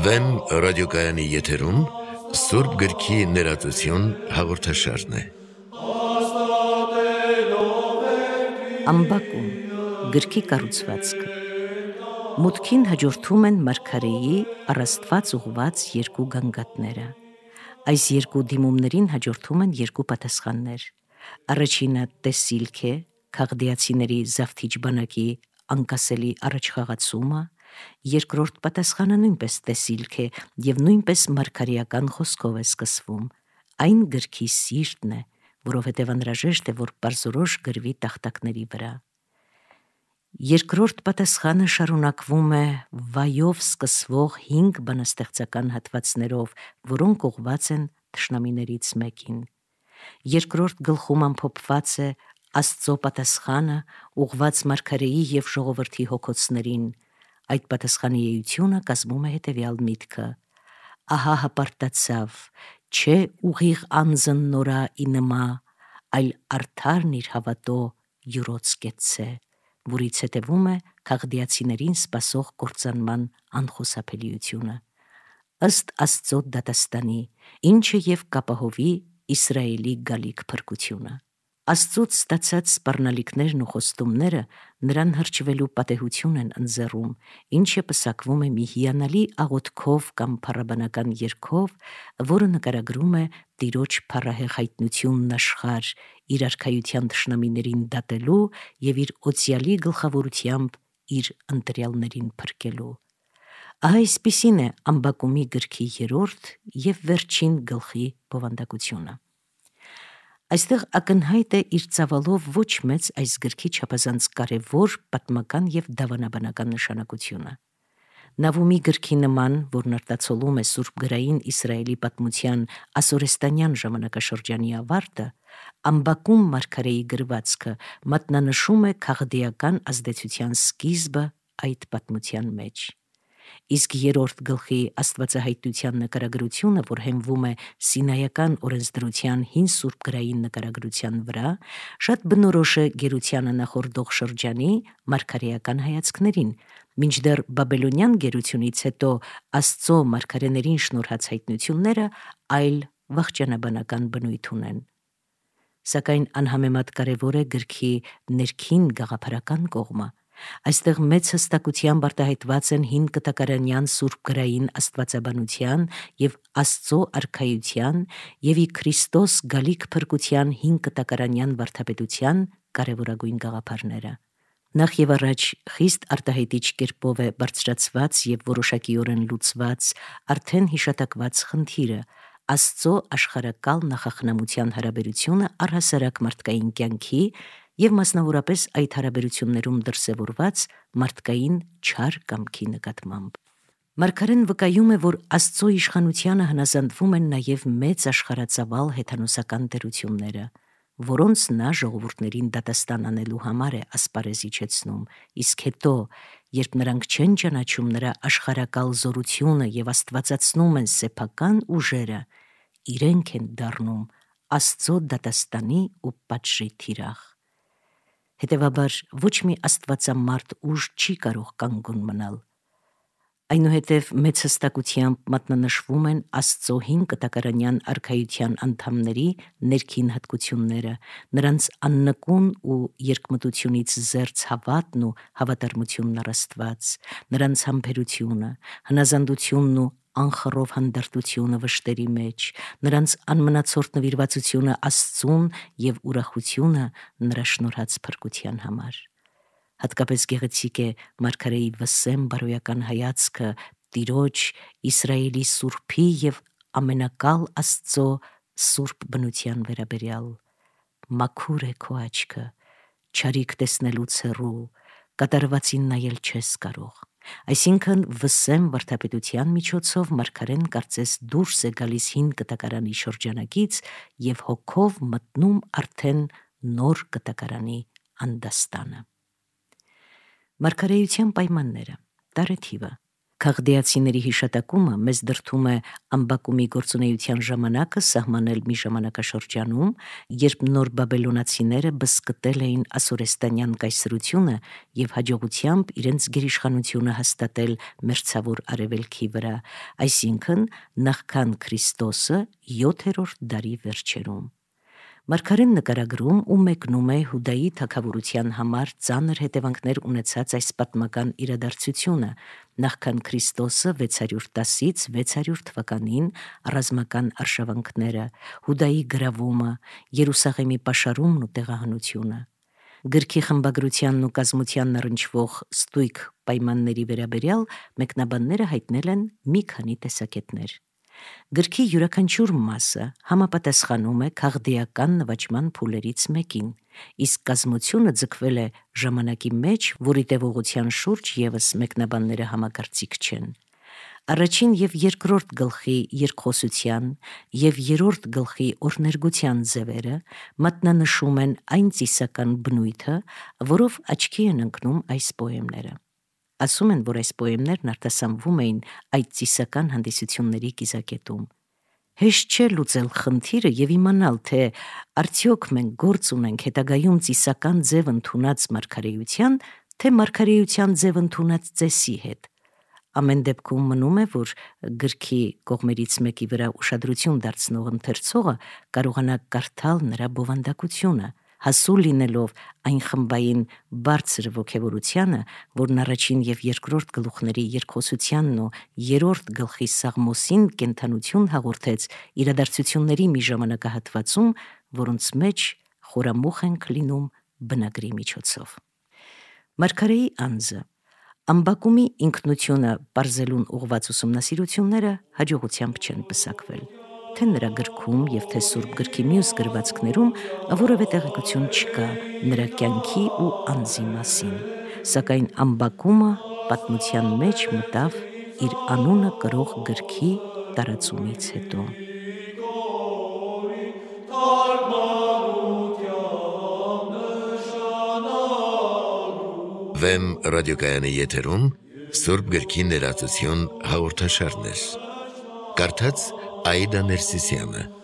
Վեմ ռադիոկայանի եթերում Սուրբ գրքի ներածություն հաղորդաշարն է։ Ամբակում գրքի կառուցվածքը մուտքին հաջորդում են մարգարեի առաստված ուղված երկու գանգատները։ Այս երկու դիմումներին հաջորդում են երկու պատասխաններ։ Առաջինը տեսիլք է, քաղդիացիների զավթիչ բանակի անկասելի առաջխաղացումը, երկրորդ պատասխանը նույնպես տեսիլք է և նույնպես մարգարեական խոսքով է սկսվում։ Այն գրքի սիրտն է, որովհետև անհրաժեշտ է, որ պարզորոշ գրվի տախտակների վրա։ Երկրորդ պատասխանը շարունակվում է վայով սկսվող 5 բանաստեղծական հատվածներով, որոնք ուղղված են թշնամիներից մեկին։ Երկրորդ գլխում ամփոփված է Աստծո պատասխանը ուղղված մարգարեի և ժողովրդի հոգոցներին։ Այդ պատասխանի էությունը կազմում է հետևյալ միտքը. ահա հպարտացավ, չէ ուղիղ անձն նորա ի նմա, այլ արդարն իր հավատո յուրոց կեցցե, որից հետևում է քաղդիացիներին սպասող կործանման անխուսափելիությունը։ Ըստ Աստծո դատաստանի, ինչը և կապահովի Իսրայելի գալիք փրկությունը։ Աստծուց ստացած սպառնալիքներն ու խոստումները նրան հրճվելու պատեհություն են ընձեռում, ինչը պսակվում է մի հիանալի աղոթքով կամ փառաբանական երգով, որը նկարագրում է Տիրոջ փառահեղ հայտնությունն աշխարհ, իր արքայության թշնամիներին դատելու և իր օծյալի գլխավորությամբ իր ընտրյալներին փրկելու։ Ահա այսպիսին է Ամբակումի գրքի 3-րդ և վերջին գլխի բովանդակությունը։ Այստեղ ակնհայտ է իր ծավալով ոչ մեծ այս գրքի չափազանց կարևոր պատմական և դավանաբանական նշանակությունը։ Նավումի գրքի նման, որն արտացոլում է սուրբգրային Իսրայելի պատմության ասորեստանյան ժամանակաշրջանի ավարտը, Ամբակում մարգարեի գրվածքը մատնանշում է քաղդիական ազդեցության սկիզբը այդ պատմության մեջ։ Իսկ 3-րդ գլխի աստվածահայտնության նկարագրությունը, որ հենվում է Սինայական օրենսդրության հին սուրբգրային նկարագրության վրա, շատ բնորոշ է գերությանը նախորդող շրջանի մարգարեական հայացքներին, մինչդեռ բաբելոնյան գերությունից հետո Աստծո մարգարեներին շնորհած հայտնությունները այլ վախճանաբանական բնույթ ունեն։ Սակայն անհամեմատ կարևոր է գրքի ներքին գաղափարական կողմը։ Այստեղ մեծ հստակությամբ արտահայտված են հին կտակարանյան սուրբգրային աստվածաբանության և Աստծո արքայության և ի Քրիստոս գալիք փրկության հին կտակարանյան վարդապետության կարևորագույն գաղափարները։ Նախ և առաջ խիստ արտահայտիչ կերպով է բարձրացված և որոշակիորեն լուծված արդեն հիշատակված խնդիրը՝ Աստծո աշխարհակալ նախախնամության հարաբերությունը առհասարակ մարդկային կյանքի և մասնավորապես այդ հարաբերություններում դրսևորված մարդկային չար կամքի նկատմամբ։ Մարգարեն վկայում է, որ Աստծո իշխանությանը հնազանդվում են նաև մեծ աշխարհածավալ հեթանոսական տերությունները, որոնց նա ժողովուրդներին դատաստան անելու համար է ասպարեզ իջեցնում, իսկ հետո, երբ նրանք չեն ճանաչում նրա աշխարհակալ զորությունը և աստվածացնում են սեփական ուժերը, իրենք են դառնում Աստծո դատաստանի ու պատժի թիրախ։ Հետևաբար ոչ մի աստվածամարդ ուժ չի կարող կանգուն մնալ։ Այնուհետև մեծ հստակությամբ մատնանշվում են Աստծո հին կտակարանյան արքայության անդամների ներքին հատկությունները, նրանց աննկուն ու երկմտությունից զերծ հավատն ու հավատարմությունն առ Աստված, նրանց համբերությունը, հնազանդությունն ու անխռով հանդարտությունը վշտերի մեջ, նրանց անմնացորդ նվիրվածությունը Աստծուն և ուրախությունը նրա շնորհած փրկության համար։ Հատկապես գեղեցիկ է մարգարեի վսեմ բարոյական հայացքը Տիրոջ, Իսրայելի Սուրբի և ամենակալ Աստծո սուրբ բնության վերաբերյալ։ Մաքուր է քո աչքը, չարիք տեսնելուց հեռու, կատարվածին նայել չես կարող։ Այսինքն վսեմ վարդապետության միջոցով մարգարեն կարծես դուրս է գալիս հին կտակարանի շրջանակից և հոգով մտնում արդեն նոր կտակարանի անդաստանը։ Մարգարեության պայմանները, տարեթիվը, Քաղդեացիների հիշատակումը մեզ դրդում է ամբակումի գործունեության ժամանակը սահմանել մի ժամանակաշրջանում, երբ նոր բաբելոնացիները բսկտել էին ասորեստանյան կայսրությունը և հաջողությամբ իրենց գերիշխանությունը հաստատել մերձավոր արևելքի վրա, այսինքն նախքան Քրիստոսը 7-րդ դարի վերջերում։ Մարգարեն նկարագրում ու մեկնում է Հուդայի թագավորության համար ծանր հետևանքներ ունեցած այս պատմական իրադարձությունը, նախքան Քրիստոսը 610-ից 600 թվականին ռազմական արշավանքները, Հուդայի գրավումը, Երուսաղեմի պաշարումն ու տեղահանությունը։ Գրքի խմբագրությանն ու կազմությանն առնչվող ստույգ պայմանների վերաբերյալ մեկնաբանները հայտնել են մի քանի տեսակետներ։ Գրքի յուրաքանչյուր մասը համապատասխանում է քաղդեական նվաճման փուլերից մեկին, իսկ կազմությունը ձգվել է ժամանակի մեջ, որի տևողության շուրջ ևս մեկնաբանները համակարծիք չեն։ Առաջին և երկրորդ գլխի երկխոսության և երրորդ գլխի օրհներգության ձևերը մատնանշում են այն ծիսական բնույթը, որով աչքի են ընկնում այս պոեմները։ Ասում են, որ այս պոեմներն արտասանվում էին այդ ծիսական հանդիսությունների կիզակետում։ Հեշտ չէ լուծել խնդիրը և իմանալ, թե արդյոք մենք գործ ունենք հետագայում ծիսական ձև ընդունած մարգարեության, թե մարգարեության ձև ընդունած ծեսի հետ։ Ամեն դեպքում մնում է, որ գրքի կողմերից մեկի վրա ուշադրություն դարձնող ընթերցողը կարողանա կարդալ նրա բովանդակությունը, հասու լինելով այն խմբային բարձր ոգևորությանը, որն առաջին և երկրորդ գլուխների երկխոսությանն ու երրորդ գլխի Սաղմոսին կենդանություն հաղորդեց իրադարձությունների մի ժամանակահատվածում, որոնց մեջ խորամուխ ենք լինում բնագրի միջոցով։ Մարգարեի անձը, ամբակումի ինքնությունը պարզելուն ուղղված ուսումնասիրությունները հաջողությամբ չեն պսակվել, թե նրա գրքում և թե Սուրբ գրքի մյուս գրվածքներում որևէ տեղեկություն չկա նրա կյանքի ու անձի մասին, սակայն ամբակումը պատմության մեջ մտավ իր անունը կրող գրքի տարածումից հետո։ Վեմ ռադիոկայանի եթերում Սուրբ գրքի ներածություն հաղորդաշարներ։ Կարդաց Աիդա Ներսիսյանը։